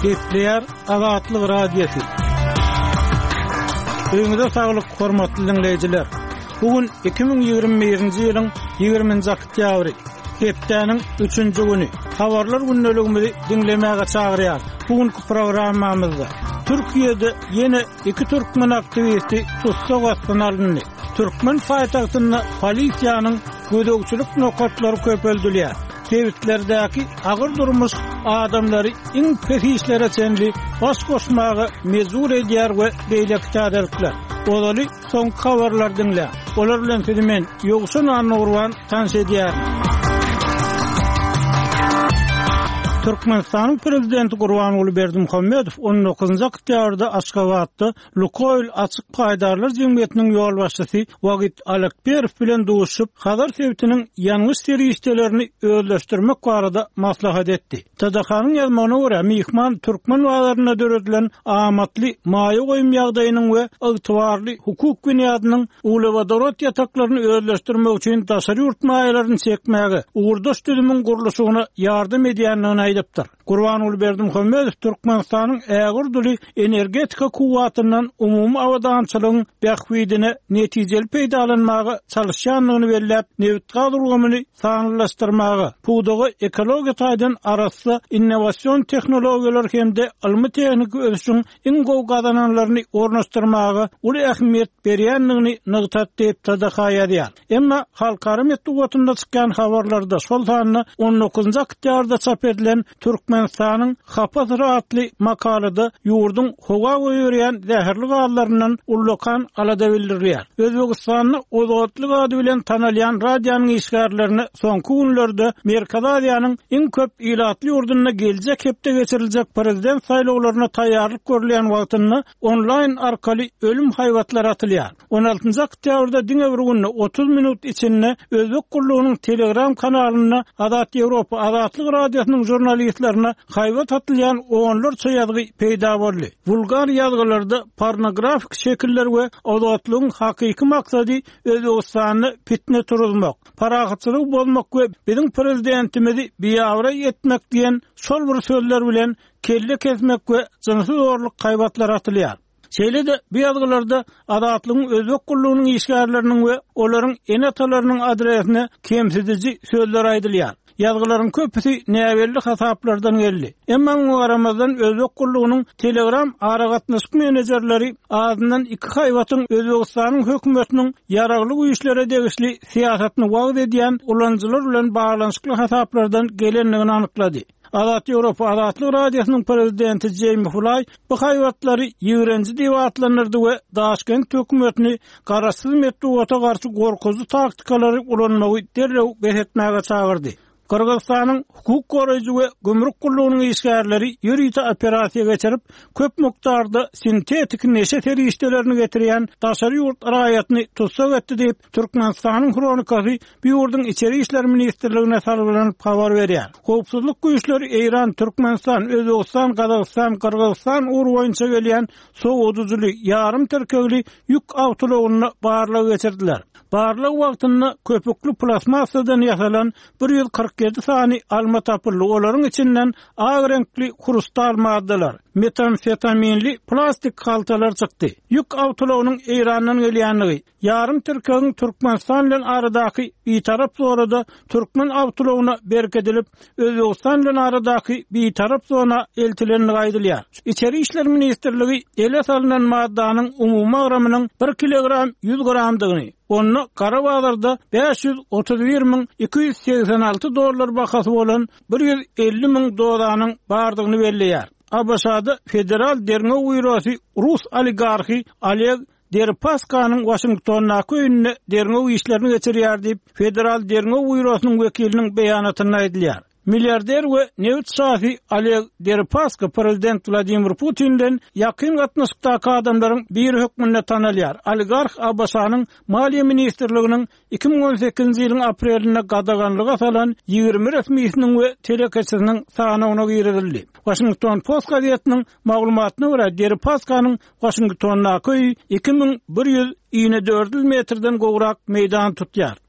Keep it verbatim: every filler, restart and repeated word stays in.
Gepleýär Azatlyk Radiosy. Öňüňize saglyk, hormatly diňleýjiler. Bu gün iki müň ýigrimi birinji ýylyň ýigriminji oktýabry, hepdäniň üçünji güni. Habarlar gündeligimizi diňlemäge çagyrýar. Bu günki programmamyzda Türkiýede ýene iki türkmen aktiwisti tussag astyna alyndy. Türkmen paýtagtynda polisiýanyň gözegçilik nokatlary köpeldilýär. Sebitlerdäki agyr durmuş adamlary iň pes işlere çenli baş goşmaga mejbur edýär we beýleki täzelikler. Ozaly soňky habarlary diňläň. Olar bilen sizi men, Ýowşan Annagurban, tanyş edýärin. Türkmenistanyň Prezidenti Gurbanguly Berdimuhamedow on dokuzynjy oktýabrda Aşgabatda Lukoýl açyk paýdarlar jemgyýetiniň ýolbaşçysy Wagit Alekperow bilen duşuşyp, Hazar sebitiniň ýangyç serişdelerini özleşdirmek barada maslahat etdi. T D H-nyň ýazmagyna görä, myhman türkmen bazarynda döredilen amatly maýa goýum ýagdaýynyň we ygtybarly hukuk binýadynyň uglewodorod ýataklaryny özleşdirmek üçin daşary ýurt maýalaryny çekmäge, ugurdaş düzümiň gurluşygyna ýardam edýändigini aýdypdyr. Gurbanguly Berdimuhamedow Türkmenistanyň ägirduly energetika kuwwatyndan umumy abadançylygyň bähbidine netijeli peýdalanmaga çalışýandygyny belläp, nebit-gaz ulgamyny sanlylaşdyrmaga, pudaga ekologiýa taýdan arassa innowasion tehnologiýalar hem-de ylmy-tehniki ösüşiň iň gowy gazananlaryny ornaşdyrmaga uly ähmiýet berýändigini nygtat diýip T D H ýazýar. Emma halkara metbugatynda çykýan habarlarda, şol sanda on dokuzynjy oktýabrda çap edilen Türkmenistanyň hapa syry atly makalada ýurduň howa goýberýän zäherli gazlaryndan ullakan alada bildirilýär. Özbegistanda Ozodlik ady bilen tanalýan radionyň işgärlerine soňky günlerde Merkezi Aziýanyň iň köp ilatly ýurdunda geljek hepde geçiriljek prezident saýlawlaryna taýýarlyk görülýän wagtynda onlaýn arkaly ölüm haýbatlary atylýar. on altynjy oktýabrda diňe bir günde otuz minut içinde Özbek gullugynyň Telegram kanalynda Azat Ýewropa Azatlyk Radiosynyň jurnalistlerine haýbat atylýan onlarça ýazgy peýda boldy. Vulgar ýazgylarda pornografik şekiller we Azatlygyň hakyky maksady Özbegistanda fitne turuzmak, parahatçylygy bozmak we biziň prezidentimizi biabraý etmek diýen şol bir sözler bilen kelle kesmek we jynsy zorluk haýbatlary atylýar. Şeýle-de bu ýazgylarda Azatlygyň Özbek gullugynyň işgärleriniň we olaryň ene-atalarynyň adresine kemsidiji sözler aýdylýar. Ýazgylaryň köpüsi näbelli hasaplardan geldi. Emma muňa garamazdan Özbek gullugynyň Telegram aragatnaşyk menejerleri azyndan iki haýbatyň Özbegistanyň hökümetiniň ýaragly güýçlere degişli syýasatyny wagyz edýän ulanyjylar bilen baglanyşykly hasaplardan gelendigini anyklady. Azat Ýewropa Azatlyk Radiosynyň prezidenti Jamie Fly bu haýbatlary ýigrenji diýip atlandyrdy we Daşkent hökümetini garaşsyz metbugata garşy gorkuzy taktikalary ulanmagy derrew bes etmäge çagyrdy. Gyrgyzystanyň hukuk goraýjy we gümrük gullugynyň işgärleri ýörite operasiýa geçirip, köp mukdarda sintetik neşe serişdelerini getirýän daşary ýurt raýatyny tussag etdi diýip, Türkmenistanyň Hronikasy bu ýurduň Içeri İşler Ministrligine salgylanyp habar berýär. Howpsuzlyk güýçleri Eýran, Türkmenistan, Özbegistan, Gazagystan, Gyrgyzystan ugur boýunça gelýän sowadyjyly, ýarym tirkegli ýük awtoulagynda barlag geçirdiler. Barlag wagtynda köpüklü plastmassadan ýasalan bir ýüz kyrk ýedi sany alma tapyldy. Olaryň içinden ak reňkli hrustal maddalar, metamfetaminli plastik haltalar çykdy. Ýük awtoulagynyň Eýrandan gelýänligi, ýarym tirkegiň Türkmenistan bilen aradaky bitarap zorada türkmen awtoulagyna berk edilip, Özbegistan bilen aradaky bitarap zona eltilenligi aýdylýar. Içeri İşler Ministrligi ele salynan maddanyň umumy agramynyň bir kilogram ýüz gramdygyny, onda gara bazarda bäş ýüz otuz bir müň iki ýüz segsen alty dollar bahasy bolan bir ýüz elli müň dozanyň bardygyny belleýär. A B Ş-da Federal Derňew Býurosy Rus oligarxy Oleg Deripaskanyň Washingtondaky öýünde derňew işlerini geçirýär diýip, Federal Derňew Býurosynyň wekiliniň beýanatynda aýdylýar. Milyarder we nebit şasy Oleg Deripaska prezident Wladimir Putinden ýakyn gatnaşykdaky adamlaryň biri hökmünde tanalýar. Oligarx A B Ş-nyň Maliýe Ministrliginiň iki müň on sekizinji ýylyň aprelinde gadaganlyga salan ýigrimi resmisiniň we telekeçisiniň sanawyna girizildi. Washington Post gazetiniň maglumatyna görä, Deripaskanyň Washingtondaky öýi iki müň bir ýüz ýigrimi dört metrden gowrak meýdan tutýar.